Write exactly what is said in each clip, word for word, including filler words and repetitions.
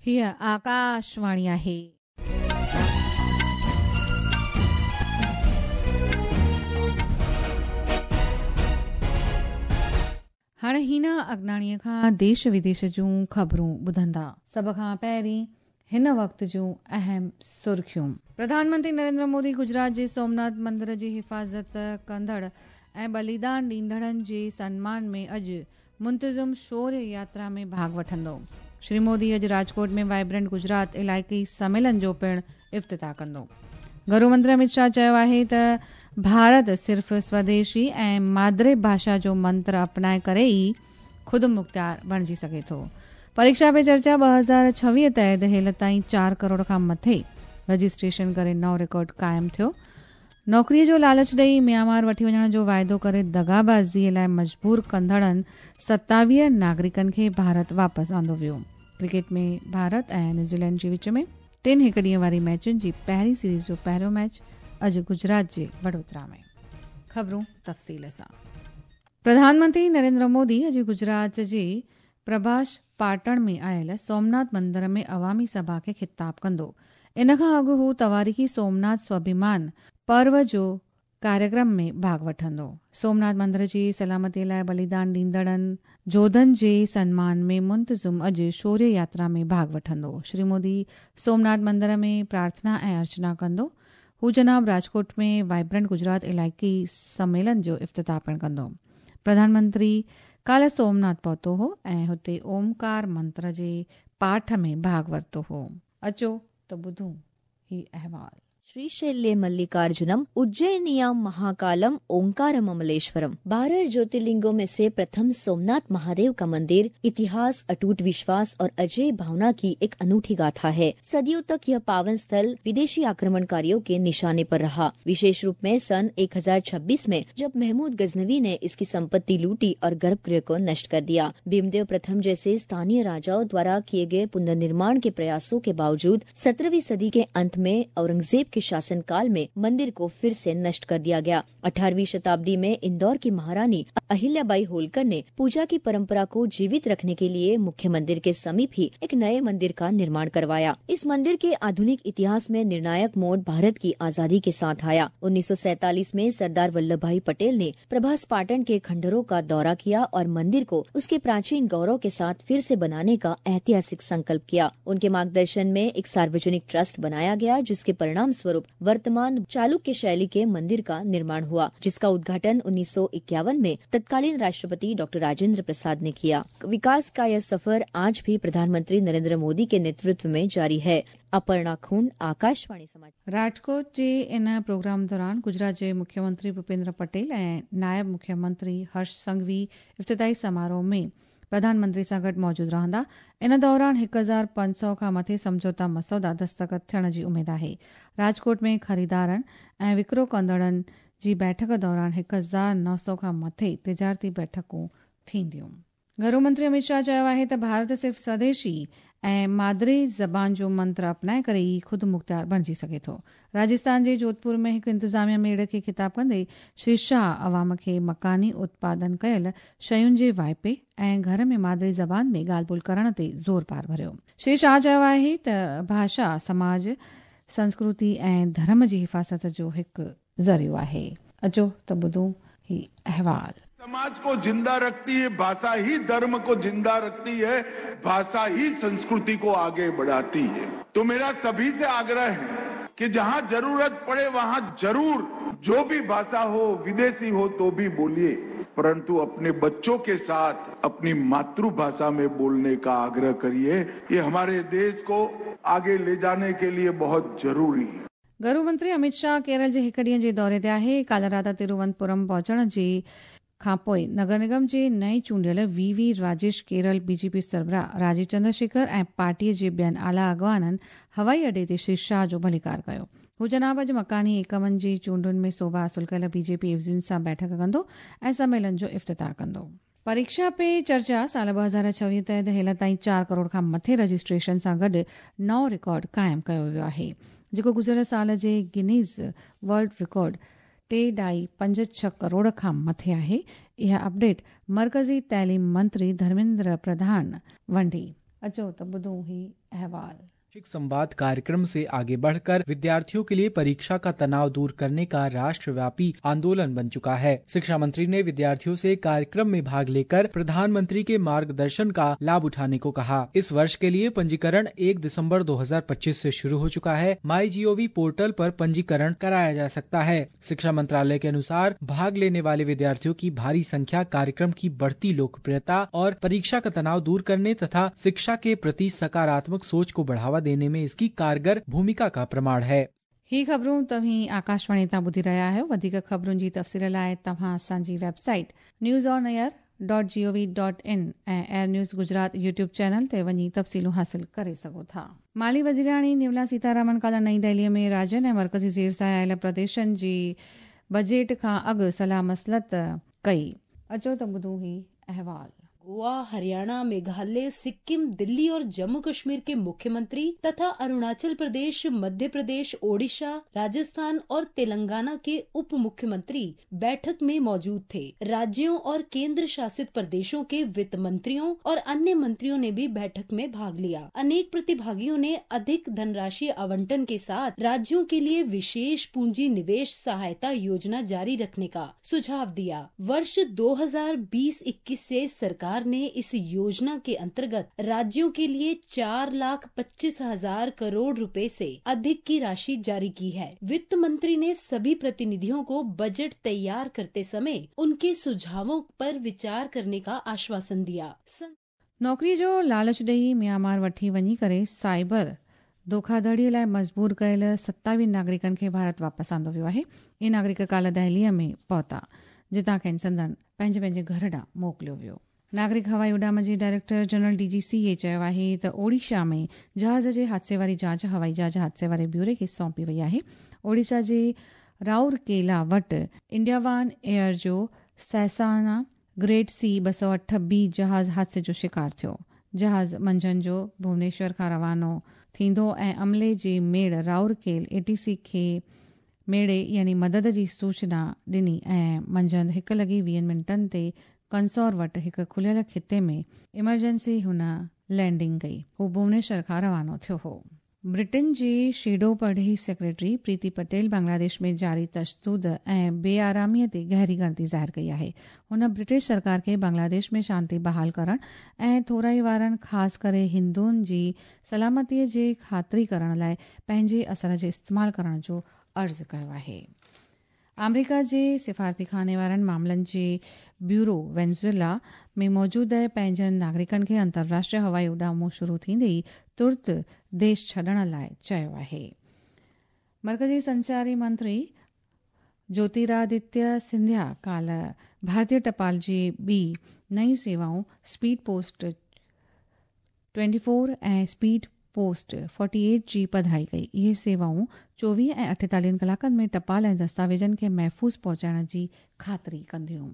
हीअ आकाशवाणी आहे। हाणे हीना अगनाणीअ खां देश विदेश जूं ख़बरूं ॿुधंदा। सभ खां पहिरीं हिन वक़्त जूं अहम सुर्खियूं। प्रधानमंत्री नरेंद्र मोदी गुजरात जे सोमनाथ मंदिर जी हिफ़ाज़त कंदड़ ऐं बलिदान ॾींदड़नि जे सन्मान में अॼु मुंतज़िम शौर्य यात्रा में भाॻ वठंदो। श्री मोदी अॼु राजकोट में वाइब्रेंट गुजरात इलाइक़ी सम्मेलन जो पिणु इफ़्तिताह कंदो। गृह मंत्री अमित शाह चयो आहे त भारत सिर्फ़ स्वदेशी ऐं मादरी भाषा जो मंत्र अपनाए करे ई ख़ुदि मुख़्तियार बणिजी सघे थो। परीक्षा पे चर्चा ॿ हज़ार छवीह तहत हेल ताईं चारि करोड़ खां मथे रजिस्ट्रेशन करे नओं रिकॉर्ड क़ाइमु थियो। नौकरीअ जो लालच ॾेई म्यांमार वठी वञण जो वाइदो करे दगाबाज़ीअ लाइ मजबूर कंदड़नि सतावीह नागरिकनि खे भारत वापसि आंदो वियो। क्रिकेट में भारत ऐं न्यूज़ीलैंड जे विच में टिनि हिकु ॾींहं वारी मैचुनि जी पहिरीं सीरीज़ जो पहिरियों मैच अॼु गुजरात जे वडोदरा में। ख़बरूं तफ़सील सां। प्रधानमंत्री नरेंद्र मोदी अॼु गुजरात जे प्रभास पाटण में आयल सोमनाथ मंदिर में अवामी सभा खे ख़िताब कंदो। इन खां अॻु हू तवारीख़ी सोमनाथ स्वाभिमान पर्व जो कार्यक्रम में भाॻ वठंदो। सोमनाथ मंदिर जी सलामतीअ लाइ बलिदान ॾींदड़नि जोधनि जे सन्मान में मुंतज़िम अॼु शौर्य यात्रा में भाॻ वठंदो। श्री मोदी सोमनाथ मंदिर में प्रार्थना ऐं अर्चना कंदो। हू जनाब राजकोट में वाइब्रेंट गुजरात इलाइक़ी सम्मेलन जो इफ़्तिताह पिणु कंदो। प्रधानमंत्री काल्ह सोमनाथ पहुतो हो ऐं हुते ओमकार मंत्र जे पाठ में भाॻ वरितो हो। अचो त ॿुधूं ही अहवाल। श्रीशैल्ये मल्लिकार्जुनम उज्जैनियाम महाकालम ओंकारम अमलेश्वरम। बारह ज्योतिर्लिंगों में से प्रथम सोमनाथ महादेव का मंदिर इतिहास, अटूट विश्वास और अजय भावना की एक अनूठी गाथा है। सदियों तक यह पावन स्थल विदेशी आक्रमणकारियों के निशाने पर रहा। विशेष रूप में सन एक हजार छब्बीस में जब महमूद गजनवी ने इसकी संपत्ति लूटी और गर्भगृह को नष्ट कर दिया। भीमदेव प्रथम जैसे स्थानीय राजाओं द्वारा किए गए पुनर्निर्माण के प्रयासों के बावजूद सत्रहवीं सदी के अंत में औरंगजेब के शासनकाल में मंदिर को फिर से नष्ट कर दिया गया। अठारहवीं शताब्दी में इंदौर की महारानी अहिल्याबाई होलकर ने पूजा की परंपरा को जीवित रखने के लिए मुख्य मंदिर के समीप ही एक नए मंदिर का निर्माण करवाया। इस मंदिर के आधुनिक इतिहास में निर्णायक मोड़ भारत की आजादी के साथ आया। उन्नीस सौ सैतालीस में सरदार वल्लभ भाई पटेल ने प्रभास पाटन के खंडहरों का दौरा किया और मंदिर को उसके प्राचीन गौरव के साथ फिर से बनाने का ऐतिहासिक संकल्प किया। उनके मार्गदर्शन में एक सार्वजनिक ट्रस्ट बनाया गया, जिसके परिणाम स्वरूप वर्तमान चालुक्य शैली के मंदिर का निर्माण हुआ, जिसका उद्घाटन उन्नीस सौ इक्यावन में तत्कालीन राष्ट्रपति डॉक्टर राजेंद्र प्रसाद ने किया। विकास का यह सफर आज भी प्रधानमंत्री नरेंद्र मोदी के नेतृत्व में जारी है। अपर्णा खून, आकाशवाणी समाचार। राजकोट जे इन प्रोग्राम दौरान गुजरात जे मुख्यमंत्री भूपेंद्र पटेल ऐं नायब मुख्यमंत्री हर्ष संघवी इफ़्तिताही समारोह में प्रधानमंत्री सां गॾु मौजूदु रहंदा। इन दौरान हिकु हज़ार पंज सौ खां मथे सम्झौता मसौदा दस्तख़त थियण जी उमेद आहे। राजकोट में ख़रीदारनि ऐं विकिरो कंदड़नि जी बैठक दौरान हिकु हज़ार नौ सौ खां मथे तिजारती बैठकूं थींदियूं। घरू मंत्री अमित शाह चयो आहे त भारत सिर्फ़ स्वदेशी ऐं मादरी ज़बान जो मंत्र अपनाए करे ई ख़ुदि मुख़्तियार बणिजी सघे थो। राजस्थान जे जोधपुर में हिकु इंतिज़ामिया मेड़ खे ख़िताब कंदे श्री शाह अवाम खे मकानी उत्पादन कयल शयुनि जे वाइपे ऐं घर में मादरी ज़बान में ॻाल्हि ॿोल करण ते ज़ोर पार भरियो। श्री शाह चयो आहे त भाषा समाज, संस्कृति ऐं धर्म जी हिफ़ाज़त जो हिकु ज़रियो आहे। अचो त ॿुधूं ही अहवाल। समाज को जिंदा रखती है भाषा ही, धर्म को जिंदा रखती है भाषा ही, संस्कृति को आगे बढ़ाती है। तो मेरा सभी से आग्रह है कि जहां जरूरत पड़े वहां जरूर जो भी भाषा हो, विदेशी हो तो भी बोलिए, परंतु अपने बच्चों के साथ अपनी मातृभाषा में बोलने का आग्रह करिए। ये हमारे देश को आगे ले जाने के लिए बहुत जरूरी है। गृह मंत्री अमित शाह केरल जे हिकु ॾींहं जे दौरे ते आहे। काल्ह राति तिरुवनंतपुरम पहुचण जे खां पोइ नगर निगम जे नए चूंडियल V V Rajesh, Kerala BJP सरबराह Rajiv Chandrashekhar ऐं पार्टीअ जे ॿियनि आला अॻवाननि हवाई अॾे ते श्री शाह जो भलीकार कयो। हू जनाब अॼु मकानी एकमनि जी चूंडुनि में सोभा हासिल कयल बीजेपी एवज़ियुनि सां बैठक कंदो ऐं सम्मेलन जो इफ़्तिताह कंदो। परीक्षा पे चर्चा साल ॿ हज़ार छवीह तहत हेल ताईं चारि करोड़ खां मथे रजिस्ट्रेशन सां गॾु नओं रिकॉर्ड क़ाइमु कयो वियो आहे, जेको गुज़िरियल साल जे गिनीज़ वर्ल्ड रिकॉर्ड टे ढाई पंज छह करोड़ खां मथे आहे। इहा अपडेट मरकज़ी तालीम मंत्री धर्मेंद्र प्रधान वंडी। अचो त ॿुधूं ही अहवाल। शैक्षिक संवाद कार्यक्रम से आगे बढ़कर विद्यार्थियों के लिए परीक्षा का तनाव दूर करने का राष्ट्रव्यापी आंदोलन बन चुका है। शिक्षा मंत्री ने विद्यार्थियों से कार्यक्रम में भाग लेकर प्रधानमंत्री के मार्गदर्शन का लाभ उठाने को कहा। इस वर्ष के लिए पंजीकरण एक दिसंबर दो हज़ार पच्चीस से शुरू हो चुका है। माई जीओवी पोर्टल पर पंजीकरण कराया जा सकता है। शिक्षा मंत्रालय के अनुसार भाग लेने वाले विद्यार्थियों की भारी संख्या कार्यक्रम की बढ़ती लोकप्रियता और परीक्षा का तनाव दूर करने तथा शिक्षा के प्रति सकारात्मक सोच को बढ़ावा देने में इसकी कारगर भूमिका का प्रमाण है। ही ख़बरूं तव्हीं आकाशवाणी तां ॿुधी रहिया आहियो। वधीक ख़बरुनि जी तफ़सील लाइ तव्हां असांजी website news on air dot G O V dot in ऐं air news Gujarat YouTube channel ते वञी तफ़सीलूं हासिल करे सघो था। माली वज़ीराणी निर्मला सीतारामन काल्ह नई दिल्लीअ में राज्यनि ऐं मर्कज़ी ज़ेर सां आयल प्रदेशनि जी बजट खां अॻु सलाह मसलत कई। अचो त ॿुधूं ही अहवाल। गोवा, हरियाणा, मेघालय, सिक्किम, दिल्ली और जम्मू कश्मीर के मुख्यमंत्री तथा अरुणाचल प्रदेश, मध्य प्रदेश, ओडिशा, राजस्थान और तेलंगाना के उप मुख्यमंत्री बैठक में मौजूद थे। राज्यों और केंद्र शासित प्रदेशों के वित्त मंत्रियों और अन्य मंत्रियों ने भी बैठक में भाग लिया। अनेक प्रतिभागियों ने अधिक धनराशि आवंटन के साथ राज्यों के लिए विशेष पूंजी निवेश सहायता योजना जारी रखने का सुझाव दिया। वर्ष दो हजार बीस इक्कीस से सरकार ने इस योजना के अंतर्गत राज्यों के लिए चार लाख पच्चीस हजार करोड़ रुपए से अधिक की राशि जारी की है। वित्त मंत्री ने सभी प्रतिनिधियों को बजट तैयार करते समय उनके सुझावों पर विचार करने का आश्वासन दिया। नौकरी जो लालच ॾेई म्यांमार वठी वञी करे साइबर धोखाधड़ीअ लाइ मजबूर कयल सत्तावीह नागरिकनि खे भारत वापसि आंदो वियो आहे। इहे नागरिक काल्ह दिल्लीअ में पहुता, जितां खेनि संदन पंहिंजे पंहिंजे घर ॾांहुं मोकिलियो वियो। नागरिक हवाई उॾाम जे director general D G C A चयो आहे त ओडिशा में जहाज़ जे हादसे वारी जांच हवाई जहाज़ हादसे वारे ब्यूरे खे सौंपी वई आहे। ओडिशा जे राउरकेला वटि इंडियावान एयर जो सैसाना ग्रेड सी ॿ सौ अठ बी जहाज़ हादसे जो शिकार थियो। जहाज़ मंझंदि जो भुवनेश्वर खां रवानो थींदो ऐं अमले जे मेड़ राउरकेल ए टी सी खे मेड़े यानी मदद जी सूचना ॾिनी ऐं मंझंदि हिकु लॻी वीहनि मिंटनि ते कंसौर वटि हिकु खुलियल खिते में इमरजेंसी हुन लैंडिंग कई। हू भुवनेश्वर खां रवानो थियो हो। ब्रिटेन जी शेडो परॾेही सेक्रेटरी प्रीति पटेल बांग्लादेश में जारी तशदुद ऐं बेआरामीअ ते गहरी ॻणती ज़ाहिर कई आहे। हुन ब्रिटिश सरकार खे बांग्लादेश में शांति बहाल करण ऐं थोराई वारनि ख़ासि करे हिंदुनि जी सलामतीअ जी ख़ातिरी करण लाइ पंहिंजे असर जे इस्तेमाल करण जो अर्ज़ु कयो आहे। आमेरिका जे सिफारती खाने वारनि मामलनि जे ब्यूरो वेनेजुएला में मौजूद पंहिंजनि नागरिकनि खे अंतर्राष्ट्रीय हवाई उॾामूं शुरू थींदे ई तुर्त देश छॾण लाइ चयो आहे। मर्कज़ी संचारी मंत्री ज्योतिरादित्य सिंधिया काल्ह भारतीय टपाल जी ॿी नयूं सेवाऊं स्पीड पोस्ट ट्वेंटी फोर ऐं स्पीड पोस्ट फोर्टी एट जी पधराई कई। इहे सेवाऊं चोवीह ऐं अठेतालीहनि कलाकनि में टपाल ऐं दस्तावेज़नि खे महफ़ूज़ पहुचाइण जी ख़ातिरी कंदियूं।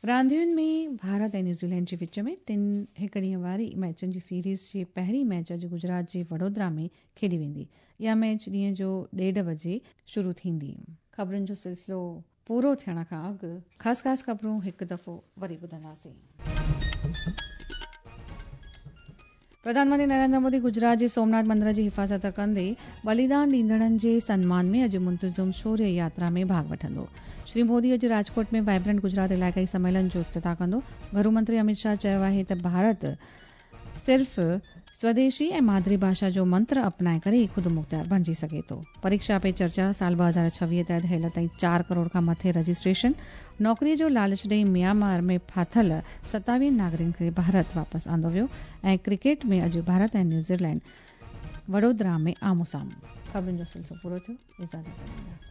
रांदियुनि में भारत ऐं न्यूज़ीलैंड जे विच में टिनि हिकु ॾींहं वारी मैचुनि जी सीरीज़ जी पहिरीं मैच अॼु गुजरात जे वडोदरा में खेॾी वेंदी। इहा मैच ॾींहं जो ॾेढ बजे शुरू थींदी। ख़बरुनि जो सिलसिलो पूरो थियण खां अॻु ख़ासि ख़ासि ख़बरूं हिकु दफ़ो वरी ॿुधंदासीं। प्रधानमंत्री नरेंद्र मोदी गुजरात जे सोमनाथ मंदिर जी हिफ़ाज़त कंदे बलिदान ॾींदड़नि जे सन्मान में अॼु मुंतज़म शौर्य यात्रा में भाॻ वठंदो। श्री मोदी अॼु राजकोट में वाइब्रेंट गुजरात इलाइक़ाई सम्मेलन जो इफ्तिताह कंदो। घरू मंत्री अमित शाह चयो आहे त भारत सिर्फ़ स्वदेशी ऐं मादरी भाषा जो मंत्र अपनाए करे ख़ुदि मुख़्तियार बणिजी सघे थो। परीक्षा पे चर्चा साल ॿ हज़ार छवीह तहत हेल ताईं चार करोड़ खां मथे रजिस्ट्रेशन। नौकरीअ जो लालच ॾेई म्यांमार में फाथल सतावीह नागरिकनि खे भारत वापसि आंदो वियो। ऐं क्रिकेट में अॼु भारत ऐं न्यूज़ीलैंड वडोदरा में आम्हों साम्हूं। ख़बरुनि जो सिलसिलो पूरो थियो। इजाज़त ॾींदा।